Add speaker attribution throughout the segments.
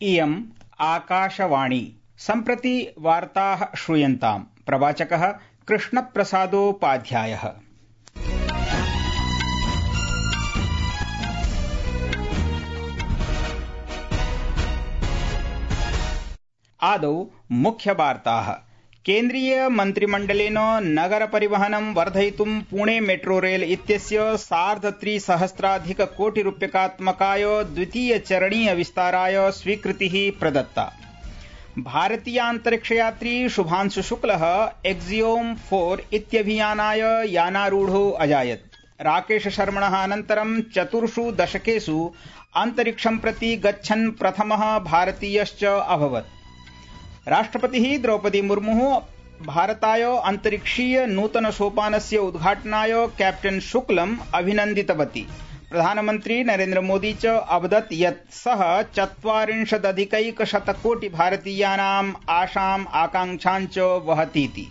Speaker 1: इयम् आकाशवाणी। सम्प्रति वार्ताः श्रूयन्ताम्। प्रवाचकः कृष्णप्रसादोपाध्यायः। आदौ मुख्यवार्ताः। केन्द्रीय मन्त्रिमण्डलेन नगर परिवहनं वर्धयितुं पुणे मेट्रो रेल इत्यस्य 3,सहस्राधिक कोटि रूप्यकात्मकाय द्वितीय चरणीय विस्ताराय स्वीकृतिः प्रदत्ता। भारतीयान्तरिक्षयात्री शुभांशु शुक्लः एक्सियोम 4 इत्यभियानाय यानारूढो अजायत्। राकेश शर्मणः अनन्तरं 4 दशकेषु अन्तरिक्षं प्रति गच्छन् प्रथमः भारतीयश्च अभवत्। राष्ट्रपतिः द्रौपदी मुर्मुः भारताय अन्तरिक्षीय नूतन सोपानस्य उद्घाटनाय कैप्टन शुक्लम् अभिनन्दितवती। प्रधानमन्त्री नरेन्द्र मोदी च अवदत् यत् सः 40,000 कोटि भारतीयानाम् आशाम् आकांक्षान् च वहतीति।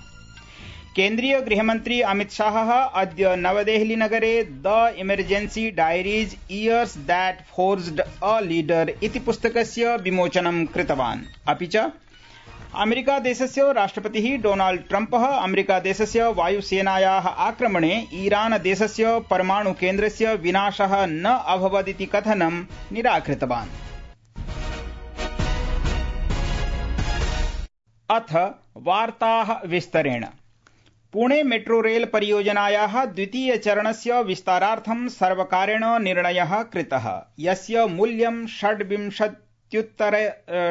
Speaker 1: केन्द्रीय गृहमन्त्री अमित शाहः अद्य नवदेहली नगरे the emergency diaries years that forged a leader इति पुस्तकस्य विमोचनं कृतवान्। अपि च अमेरिकादेशस्य राष्ट्रपतिः डोनाल्ड ट्रम्पः अमेरिकादेशस्य वायुसेनायाः आक्रमणे ईरानदेशस्य परमाणुकेन्द्रस्य विनाशः न अभवदिति कथनं निराकृतवान्। अथ वार्ताः विस्तरेण। पुणे मेट्रो रेल परियोजनायाः द्वितीय चरणस्य विस्तारार्थं सर्वकारेण निर्णयः कृतः, यस्य मूल्यं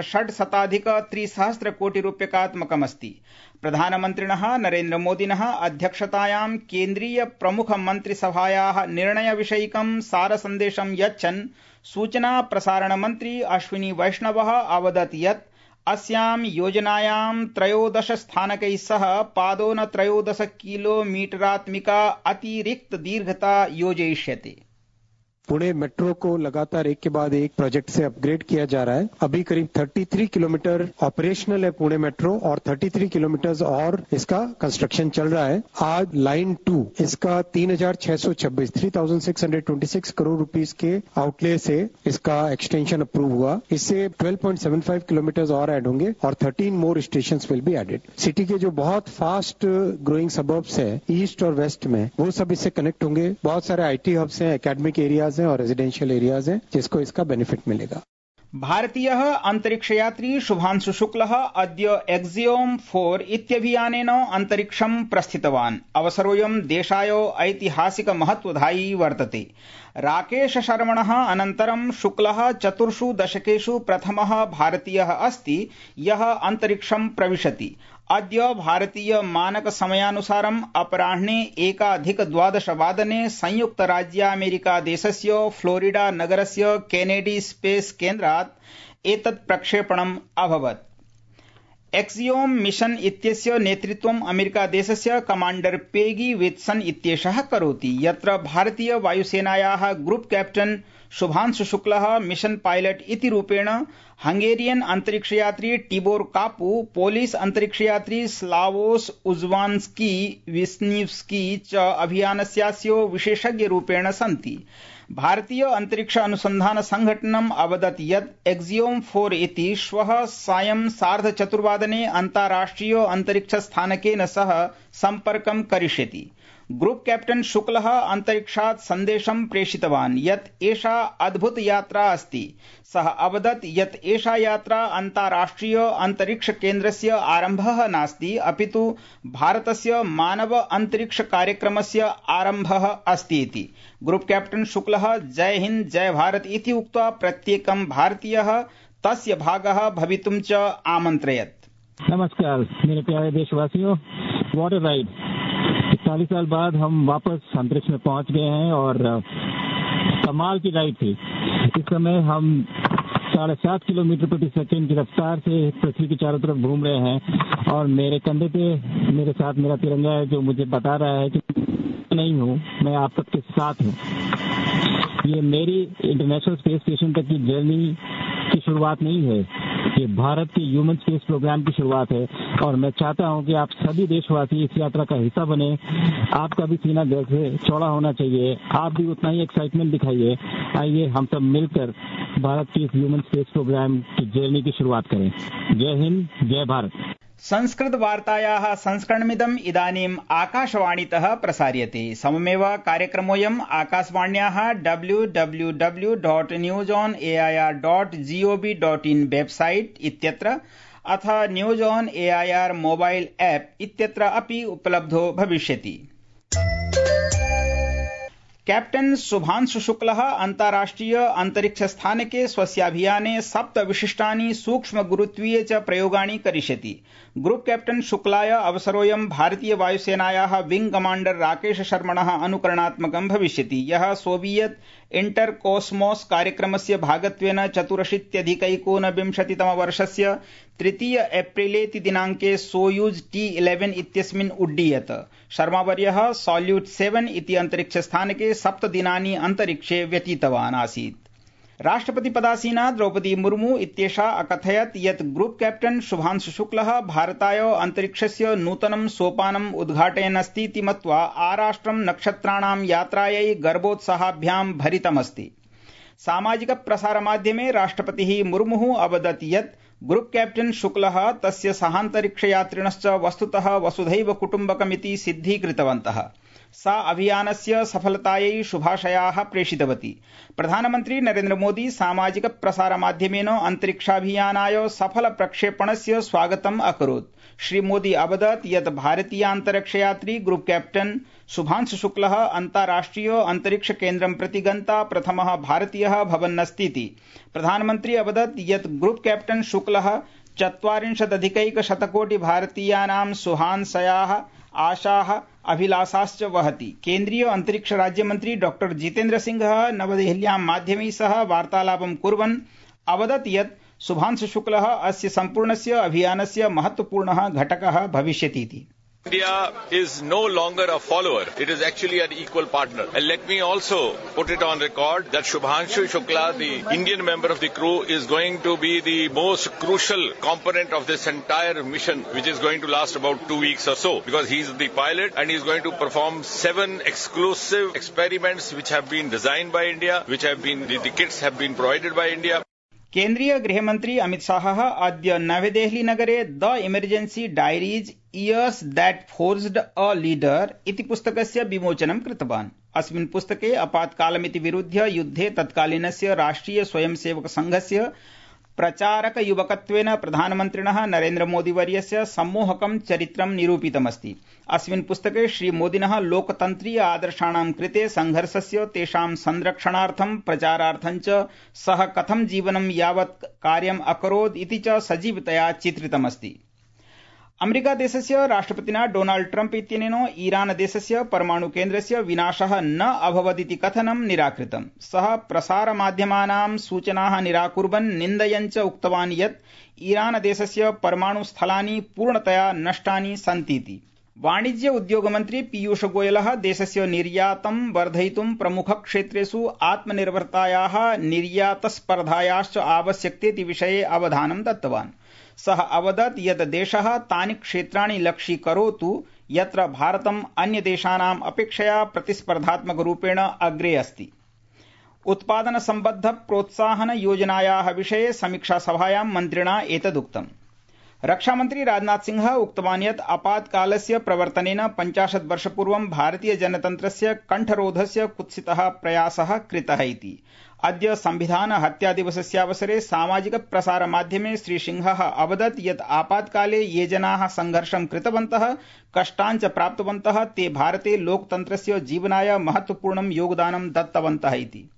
Speaker 1: 6,600 कोटि रूप्यकात्मकमस्ति। प्रधानमन्त्रिणः नरेन्द्र मोदिनः अध्यक्षतायां केन्द्रीय प्रमुख मन्त्रिसभायाः निर्णयविषयिकं सारसन्देशं यच्छन् सूचना प्रसारण मन्त्री अश्विनी वैष्णवः अवदत् यत् अस्यां योजनायां 13 स्थानकैः सह पादोन 13 किलोमीटरात्मिका अतिरिक्त दीर्घता योजयिष्यते।
Speaker 2: पुणे मेट्रो को लगातार एक के बाद एक प्रोजेक्ट से अपग्रेड किया जा रहा है। अभी करीब 33 किलोमीटर ऑपरेशनल है पुणे मेट्रो और 33 किलोमीटर और इसका कंस्ट्रक्शन चल रहा है। आज लाइन 2 इसका 3,626 करोड़ रुपीस के आउटले से इसका एक्सटेंशन अप्रूव हुआ। इससे 12.75 किलोमीटर और ऐड होंगे और 13 more station will be added. City के जो बहुत फास्ट ग्रोइंग सबर्ब्स है ईस्ट और वेस्ट में, वो सब इससे कनेक्ट होंगे। बहुत सारे IT हब्स हैं, एकेडमिक एरियाज और रेजिडेंशियल एरियाज हैं, जिसको इसका बेनिफिट मिलेगा।
Speaker 1: भारतीयः अन्तरिक्षयात्री शुभांशु शुक्लः अद्य एक्सियोम 4 इत्यभियानेन अन्तरिक्षं प्रस्थितवान्। अवसरोऽयं देशाय ऐतिहासिक महत्वधायी वर्तते। राकेश शर्मणः अनन्तरं शुक्लः 4 दशकेषु प्रथमः भारतीयः अस्ति यः अन्तरिक्षं प्रविशति। अद्य भारतीय मानक समयानुसारम् अपराह्ने 1:12 संयुक्तराज्यामेरिकादेशस्य फ्लोरिडा नगरस्य केनेडी स्पेस केन्द्रात् एतत् प्रक्षेपणम् अभवत्। एक्सियोम मिशन इत्यस्य नेतृत्वम् अमेरिकादेशस्य कमाण्डर पेगी वित्सन इत्येषः करोति, यत्र भारतीय वायुसेनायाः ग्रुप कैप्टन शुभांशु शुक्लः मिशन पायलट इति रूपेण, हंगेरियन अन्तरिक्षयात्री टिबोर कापू, पोलिश अन्तरिक्षयात्री स्लावोस उज्वान्स्की विस्निव्स्की च अभियानस्यास्य विशेषज्ञरूपेण सन्ति। भारतीय अन्तरिक्ष अनुसन्धान संघटनम् अवदत् यत् एक्सियोम 4 इति श्वः सायं 4:30 अन्ताराष्ट्रिय अन्तरिक्ष स्थानकेन सह सम्पर्कं करिष्यति। ग्रुप कैप्टन शुक्लः अन्तरिक्षात् सन्देशं प्रेषितवान् यत् एषा अद्भुत यात्रा अस्ति। सः अवदत् यत् एषा यात्रा अन्ताराष्ट्रिय अन्तरिक्ष केन्द्रस्य आरम्भः नास्ति, अपितु भारतस्य मानव अन्तरिक्ष कार्यक्रमस्य आरम्भः अस्ति इति। ग्रुप कैप्टन शुक्लः जय हिंद जय भारत इति उक्त्वा प्रत्येकं भारतीयः तस्य भागः भवितुं च आमन्त्रयत्।
Speaker 3: नमस्कार मेरे प्यारे देशवासियों, व्हाट अ राइड। 40 साल बाद हम वापस अंतरिक्ष में पहुंच गए हैं और कमाल की राइड थी। इस समय हम 7.5 किलोमीटर प्रति सेकंड की रफ्तार से पृथ्वी के चारों तरफ घूम रहे हैं और मेरे कंधे पे मेरे साथ मेरा तिरंगा है, जो मुझे बता रहा है कि नहीं हूँ, मैं आप सबके साथ हूँ। ये मेरी इंटरनेशनल स्पेस स्टेशन तक की जर्नी की शुरुआत नहीं है, ये भारत के ह्यूमन स्पेस प्रोग्राम की शुरुआत है और मैं चाहता हूं कि आप सभी देशवासी इस यात्रा का हिस्सा बने। आपका भी सीना दिल से चौड़ा होना चाहिए, आप भी उतना ही एक्साइटमेंट दिखाइए। आइए हम सब मिलकर भारत की इस ह्यूमन स्पेस प्रोग्राम की जर्नी की शुरुआत करें। जय हिंद, जय भारत।
Speaker 1: संस्कृत वार्तायाः संस्करणमिदम् इदानीम् आकाशवाणीतः प्रसार्यते। सममेव कार्यक्रमोऽयम् आकाशवाण्याः www.newsonair.gov.in वेबसाइट इत्यत्र अथ news on AIR mobile app इत्यत्र अपि उपलब्धो भविष्यति। कैप्टन शुभांशु शुक्लः अन्ताराष्ट्रिय अंतरिक्ष स्थानके स्वस्याभियाने 7 विशिष्टानि सूक्ष्म गुरुत्वीय च प्रयोगाणि करिष्यति। ग्रुप कैप्टन शुक्लाय अवसरोऽयं भारतीय वायुसेनायाः विंग कमांडर राकेश शर्मणः अनुकरणात्मकं भविष्यति, यः सोवियत इंटर कॉस्मोस कार्यक्रमस्य भागत्वेन 84,19 वर्षस्य 3 एप्रिलेति दिनाङ्के सोयूज T-11 इत्यस्मिन् उड्डीयत। शर्मावर्यः सॉल्यूट 7 इति अन्तरिक्षस्थानके 7 दिनानि अन्तरिक्षे व्यतीतवान् आसीत्। राष्ट्रपतिपदासीना द्रौपदी मुर्मू इत्येषा अकथयत् यत् ग्रुप कैप्टन शुभांशु शुक्लः भारताय अन्तरिक्षस्य नूतनं सोपानम् उद्घाटयन्नस्तीति मत्वा आराष्ट्रं नक्षत्राणां यात्रायै गर्वोत्साहाभ्यां भरितमस्ति। सामाजिक प्रसारमाध्यमे राष्ट्रपतिः मुर्मुः अवदत् यत् ग्रुप कैप्टन शुक्लः तस्य सहान्तरिक्षयात्रिणश्च वस्तुतः वसुधैव कुटुम्बकमिति सिद्धीकृतवन्तः। सा अभियानस्य सफलतायै शुभाशयाः प्रेषितवती। प्रधानमन्त्री नरेन्द्र मोदी सामाजिक प्रसारमाध्यमेन अन्तरिक्षाभियानाय सफल प्रक्षेपणस्य स्वागतम् अकरोत्। श्री मोदी अवदत् यत् भारतीयान्तरिक्षयात्री ग्रुप कैप्टन शुभांशु शुक्लः अन्ताराष्ट्रिय अन्तरिक्ष केन्द्रं प्रति गन्ता प्रथमः भारतीयः भवन्नस्तीति। प्रधानमन्त्री अवदत् यत् ग्रुप कैप्टन शुक्लः 40,000 कोटि भारतीयानां सुहांशयाः, आशाः, अभिलाषाश्च वहति। केन्द्रीय अन्तरिक्ष राज्यमन्त्री डॉक्टर जितेन्द्र सिंहः नवदेहल्यां माध्यमैः सह वार्तालापं कुर्वन् अवदत् यत् शुभांशु शुक्लः अस्य सम्पूर्णस्य अभियानस्य महत्वपूर्णः घटकः भविष्यतीति।
Speaker 4: India is no longer a follower. It is actually an equal partner. And let me also put it on record that Shubhanshu Shukla, the Indian member of the crew, is going to be the most crucial component of this entire mission, which is going to last about 2 weeks or so, because he's the pilot and he's going to perform 7 exclusive experiments which have been designed by India, which have been, the kits have been provided by India.
Speaker 1: केन्द्रीय गृहमन्त्री अमित शाहः अद्य नवदेहली नगरे the emergency diaries years that forged a leader इति पुस्तकस्य विमोचनं कृतवान्। अस्मिन् पुस्तके आपातकालमिति विरुध्य युद्धे तत्कालीनस्य राष्ट्रिय स्वयंसेवक संघस्य प्रचारकयुवकत्वेन प्रधानमन्त्रिणः नरेन्द्र मोदीवर्यस्य सम्मोहकं चरित्रं निरूपितमस्ति। अस्मिन् पुस्तके श्रीमोदिनः लोकतन्त्रीय आदर्शाणां कृते संघर्षस्य, तेषां संरक्षणार्थं, प्रचारार्थं च सः कथं जीवनं यावत् कार्यम् अकरोत् इति च सजीवतया चित्रितमस्ति। अमेरिका देशस्य राष्ट्रपतिना डोनाल्ड ट्रम्प इत्यनेन ईरान देशस्य परमाणु केन्द्रस्य विनाशः न अभवदिति कथनं निराकृतम्। सः प्रसारमाध्यमानां सूचनाः निराकुर्वन् निन्दयन् च उक्तवान् यत् ईरान देशस्य परमाणु स्थलानि पूर्णतया नष्टानि सन्तीति। वाणिज्य उद्योग मन्त्री पीयूष गोयलः देशस्य निर्यातं वर्धयितुं प्रमुखक्षेत्रेषु आत्मनिर्भरतायाः, निर्यातस्पर्धायाश्च आवश्यकतेति विषये अवधानं दत्तवान्। सः अवदत् यत् देशः तानि क्षेत्राणि लक्ष्यीकरोतु यत्र भारतम् अन्यदेशानाम् अपेक्षया प्रतिस्पर्धात्मकरूपेण अग्रे अस्ति। उत्पादन सम्बद्ध प्रोत्साहन योजनायाः विषये समीक्षासभायां मन्त्रिणा एतदुक्तम्। रक्षामन्त्री राजनाथ सिंहः उक्तवान् यत् आपातकालस्य प्रवर्तनेन 50 वर्षपूर्वं भारतीय जनतन्त्रस्य कण्ठरोधस्य कुत्सितः प्रयासः कृतः इति। अद्य संविधान हत्या दिवसस्यावसरे सामाजिक प्रसार माध्यमे श्री सिंहः अवदत् यत् आपातकाले ये जनाः संघर्षं कृतवन्तः, कष्टान् च प्राप्तवन्तः, ते भारते लोकतन्त्रस्य जीवनाय महत्वपूर्णं योगदानं दत्तवन्तः इति।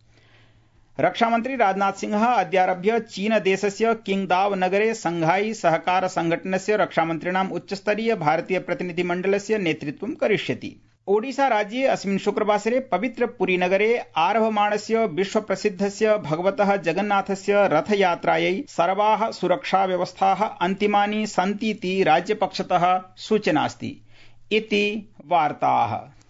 Speaker 1: रक्षामन्त्री राजनाथ सिंहः अद्यारभ्य चीन देशस्य किंगदाव नगरे संघाई सहकार संघटनस्य रक्षामन्त्रिणाम् उच्चस्तरीय भारतीय प्रतिनिधिमण्डलस्य नेतृत्वं करिष्यति। ओडिशा राज्ये अस्मिन् शुक्रवासरे पवित्र पुरी नगरे आरभमाणस्य विश्वप्रसिद्धस्य भगवतः जगन्नाथस्य रथयात्रायै सर्वाः सुरक्षाव्यवस्थाः अन्तिमानि सन्तीति राज्यपक्षतः सूचनास्ति इति वार्ताः।